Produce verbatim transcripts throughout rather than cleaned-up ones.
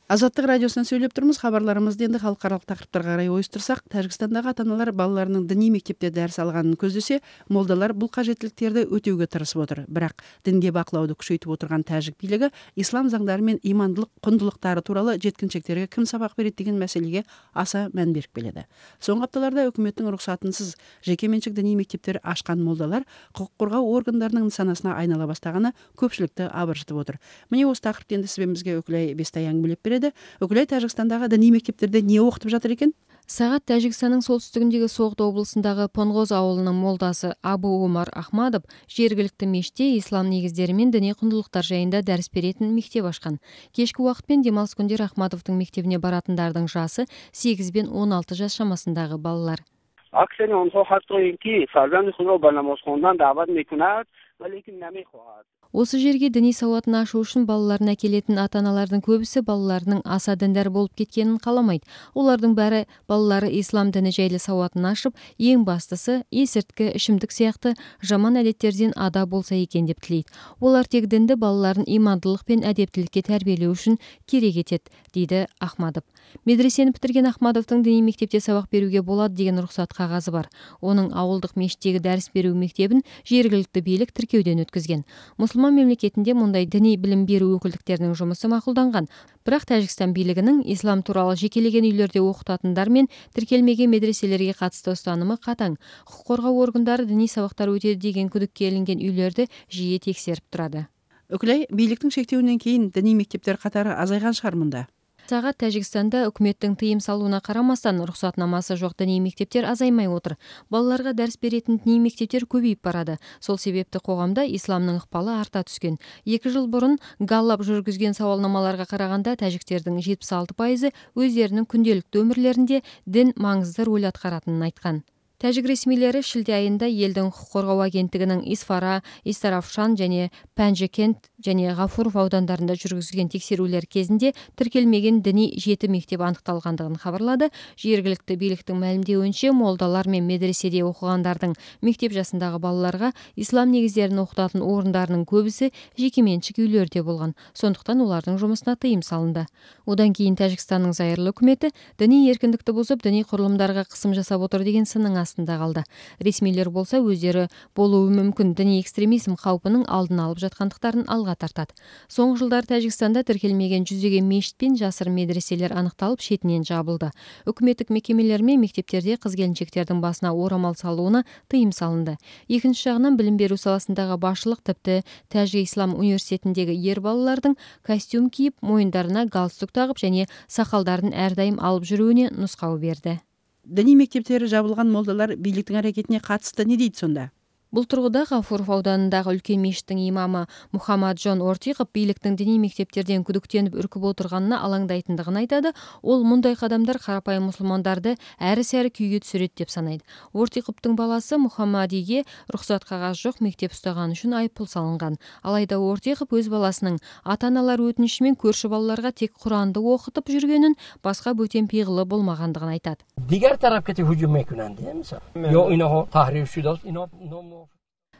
Азаттык радиосунан сүйлөп турмуз. Кабарларыбызды энди халыкаралык такырыптарга карай ойуштурсак, Тажикстандагы ата-аналар балаларынын диний мектепте дарс алганын көздөсө, молдалар бул кажеттиликтерди өтөөгө тырышып отур. Бирок динге бакылауду күчөйтүп отурган тажик бийлиги ислам заңдары менен имандылык кундулуктары тууралуу жеткинчектерге ким сабак берет деген маселеге аса маан берип келеди. Соңку апталарда өкмөттүн уруксатынсыз жеке менчик диний мектептери ачкан молдалар укук коргоо органдарынын нысанасына айнала бастаганы көпчүлүктү абыржытып отур. Мына осы такырыпты энди сизбизге Өкүлай Бестаяң билип берет. Өкүлай, Тажикстандагы диний мектептерде эмне окутуп жатыр экен? Сагат Тажикстандын солтүстүгүндөгү Соғды облусундагы Понгоз ауылунун молдасы Абу Умар Ахмадов жергиликтүү мешитте ислам негиздери менен диний кундулуктар жайында дарс беретін мектеп ачкан. Кечки убакыт менен демалыс күндөрү Ахмадовдун мектебине баратындардын жасы сегиз бен он алты жаш чамасындагы балалар. اکثر آنها حتی اینکه فرزند خود را به نماز خواندن دعوت میکند ولیکن نمیخواهد. Осы жерге диний сауатын ашуу үчүн балаларына келетін ата-аналардын көбүсү балаларынын аса диндар болуп кеткенин кааламайт. Олардын баары балалары ислам дини жайлы сауатын ашып, эң бастысы эсиртки, ичимдик сыяктуу жаман адеттерден ада болса экен деп тилейт. Олар тек динди балаларын имандылык пен адептиликке тарбиялоо үчүн керек этет, дейди Ахмадов. Медресени бүтүргөн Ахмадовдун диний мектепте сабак берүүгө болот деген уруксат кагазы бар. Онун ауылдык мешиттеги дарс берүү мектебин жергиликтүү бийлик тиркеудөн өткөзгөн. Мусулман мемлекетинде мындай диний билим берүү өкүлдүктөрүнүн жумусу макулданган. Бирок Тажикстан бийлигинин ислам тууралуу жекелеген үйлөрдө окутатындар менен тиркелмеген медреселерге катысты устанымы катаң. Укук коргоо органдары диний сабактар өтөдү деген күдүккө илинген үйлөрдү жиі текшерип турады. Өкүлай, бийликтин шектөөүнөн кийин диний мектептер катары азайган шаар мында. Сагат Тажикстанда өкмөттүн тыйым салууна карамастан уруксатнамасы жок диний мектептер азаймай отур. Балаларга дарс беретін диний мектептер көбөйүп барады. Сол себепти коомдо исламдын ыкпалы арта түскөн. эки жыл бурун Галлап жүргүзгөн сабалнамаларга караганда тажиктердин жетимиш алты пайызы өздеринин күндөлүктүү өмүрлөрүндө дин маңызды роль аткаратынын айткан. Тажик ресмилери шилде айында элдин укук коргоо агенттигинин Исфара, Истаравшан жана Панжикент жана Гафуров аудандарында жүргүзгөн текшерүүлөр кезинде тиркелмеген диний жети мектеп аныкталгандыгын кабарлады. Жергиликтүү бийликтин маалимдеуинче, молдалар менен медреседе окугандардын мектеп жашындагы балаларга ислам негиздерин окутатын орундарынын көбүсү жеке менчик үйлөрдө болгон. Сондуктан улардын жумусуна тыйым салынды. Одан кийин Тажикстандын зайырлуу өкмөтү диний эркиндикти бузуп, диний курулумдарга кысым жасап отур деген сынын астында калды. Ресмилер болсо өздөрү болуу мүмкүн диний экстремизм каупунун алдын алып жаткандыктарын алга тартат. Соңку жылдары Тажикстанда тиркелмеген жүзөгөн мешит пен жасырын медреселер аныкталып, шетинен жабылды. Өкмөттүк мекемелер менен мектептерде кыз-келинчектердин басына орамал салууна тыйым салынды. Экинчи жагынан билим берүү саласындагы башчылык типти Тажик Ислам университетиндеги ер балалардын костюм кийип, моюндарына галстук тагып жана сакалдарын ар дайым алып жүрүүнү нускау берди. Диний мектептери жабылган молдалар бийликтин аракетине катысты не дейт сонда? Бул тургуда Гафуров ауданындагы үлкен мешиттин имамы Мухаммаджон Ортиков бийликтин диний мектептерден күдүктөнүп үркүп отурганына алаңдайтындыгын айтады. Ол мындай кадамдар карапайым мусулмандарды әрі-сәрі күйгө түсүрөт деп санайт. Ортиковдун баласы Мухаммадиге уруксат кагаз жок мектеп уштаганы үчүн айыппул салынган. Алайда Ортиков өз баласынын ата-аналар өтүнүшү менен көршү балаларга тек Куранды окутуп жүргөнүн, башка бөтен пыйгылы болмагандыгын айтат. Diğer taraf kete hücum mekunan değil mi? Yo ino tahrir şudos ino no.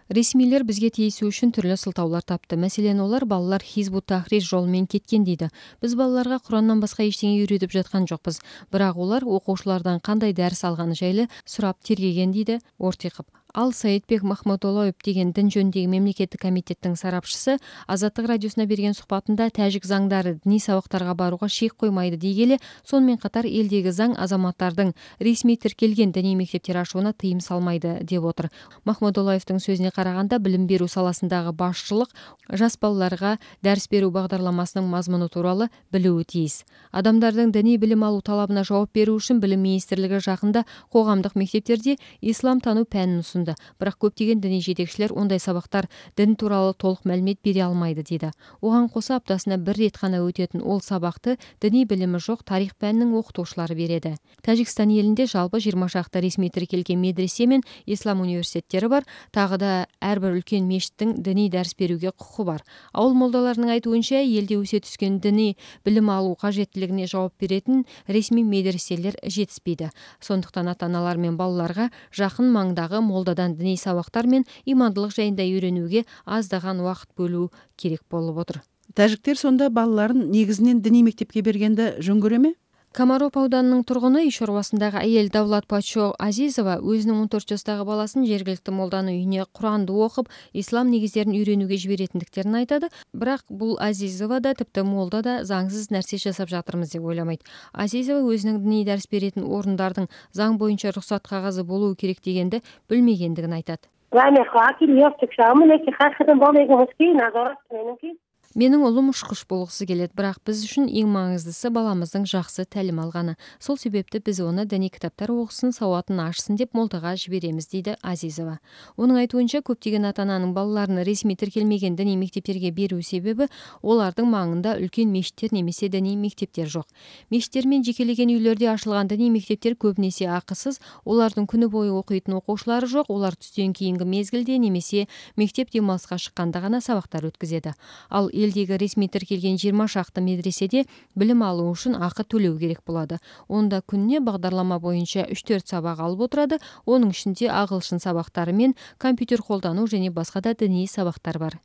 Ресмилер бизге тийисүү үчүн түрлүү сылтаулар тапты. Маселен, олар балалар Хизбут Тахрир жолу менен кеткен дейди. Биз балаларга Курандан башка эчтеке үйрөтүп жаткан жокпуз. Бирок олар окуучулардан кандай дарс алганы жайлы сурап тергеген дейди Ортиков. Ал Саидбек Махмудолоев деген дин жөнүндөгү мемлекеттик комитеттин сарапчысы Азаттык радиосуна берген сухбатында тажик заңдары диний сабактарга барууга шек коймайды дегеле, сонун катар элдеги заң азаматтардын ресми тиркелген диний мектептер ачууна тыйым салмайды деп отур. Махмудолоевдин сөзүнө караганда, билим берүү саласындагы башчылык жас балаларга дарс берүү багдарламасынын мазмуну тууралуу билүүгө тийис. Адамдардын диний билим алуу талабына жооп берүү үчүн Билим министрлиги жакында коомдук мектептерде ислам тануу пәнин усунду. Бирок көптөгөн диний жетекчилер ондай сабактар дин тууралуу толук маалимет бере алмайды дейди. Оган коса аптасына бир рет гана өтөтүн ол сабакты диний билими жок тарих пәнинин окутуучулары береді. Тажикстан элинде жалпы жыйырма шакта ресми тиркелген медресе мен ислам университеттери бар. Тагы да ар бир үлкен мешиттин диний дарс берүүгө укугу бар. Ауыл молдаларынын айтуунча, элде өсө түскөн диний билим алуу кажеттилигине жооп беретін ресми медреселер жетиспейди. Сондуктан ата-аналар менен балаларга жакын маңдагы молдадан диний сабактар мен имандылык жайында үйрөнүүгө аздаган убакыт бөлүү керек болуп отур. Тажиктер сонда балаларын негизинен диний мектепке бергенди жөн көрөмү? Комаров ауданынын тургуну иш орбасындагы айыл Давлат Пачо Азизова өзүнүн он төрт жаштагы баласын жергиликтүү молданын үйүнө Куранды окуп, ислам негиздерин үйрөнүүгө жиберетиндиктерин айтады. Бирок бул Азизова да типти молда да заңсыз нерсе жасап жатырмыз деп ойламайт. Азизова өзүнүн диний дарс беретін орундардын заң боюнча уруксат кагазы болуу керек дегенди билмегендигин айтат. Менин улум ушкуш болгусу келет, бирок биз үчүн эң маңыздысы баламыздын жакшы талим алганы. Сол себепти биз оны диний китаптар окусун, сабатын ашсын деп молдага жиберемиз, дейди Азизова. Онун айтуунча, көптөгөн ата-ананын балаларын ресми тиркелмеген диний мектептерге берүү себеби олардын маңында үлкөн мечиттер немесе диний мектептер жок. Мечиттер менен жекелеген үйлөрдө ачылган диний мектептер көп нерсе акысыз, олардын күнү бою окуйтун окуучулары жок, олар түстөн кийинки мезгилде немесе мектеп демалыска чыкканда гана сабактар өткөзөдү. Ал элдеги ресми тиркелген жыйырма шакты медреседе билим алуу үчүн акы төлөө керек болот. Онда күнүнө багдарлама боюнча үч төрт сабак алып отурат. Онун ичинде агылшын сабактары менен компьютер колдонуу және баска да диний сабактар бар.